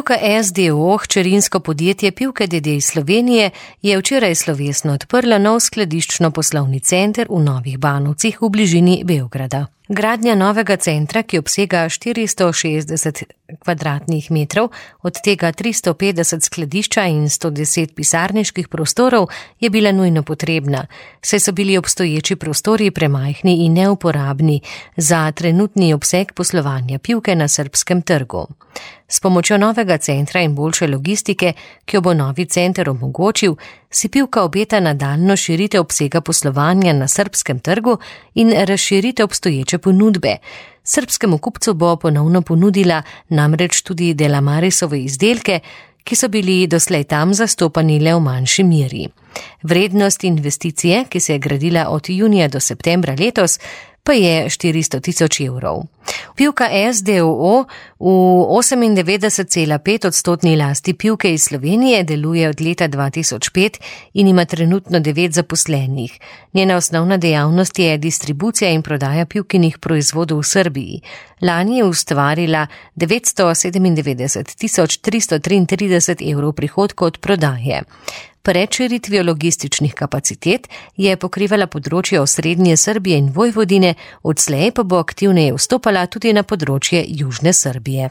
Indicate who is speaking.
Speaker 1: Pivka SDO, hčerinsko podjetje Pivke d.d. iz Slovenije, je včeraj slovesno odprla nov skladiščno poslovni center v Novih Banovcih v bližini Beograda. Gradnja novega centra, ki obsega 460 kvadratnih metrov, od tega 350 skladišča in 110 pisarniških prostorov, je bila nujno potrebna, saj so bili obstoječi prostori premajhni in neuporabni za trenutni obseg poslovanja Pivke na srbskem trgu. S pomočjo novega centra in boljše logistike, ki jo bo novi center omogočil, si Pivka obeta nadaljnjo širitev obsega poslovanja na srbskem trgu in razširitev obstoječe ponudbe. Srbskemu kupcu bo ponovno ponudila namreč tudi Delamarisove izdelke, ki so bili doslej tam zastopani le v manjši meri. Vrednost investicije, ki se je gradila od junija do septembra letos, pa je 400 000 evrov. Pivka SDO v 98,5% lasti Pivke iz Slovenije deluje od leta 2005 in ima trenutno 9 zaposlenih. Njena osnovna dejavnost je distribucija in prodaja Pivkinih proizvodov v Srbiji. Lani je ustvarila 997 333 evrov prihodkov od prodaje. Pred širitvijo logističnih kapacitet je pokrivala področje osrednje Srbije in Vojvodine, odslej pa bo aktivneje vstopala tudi na področje južne Srbije.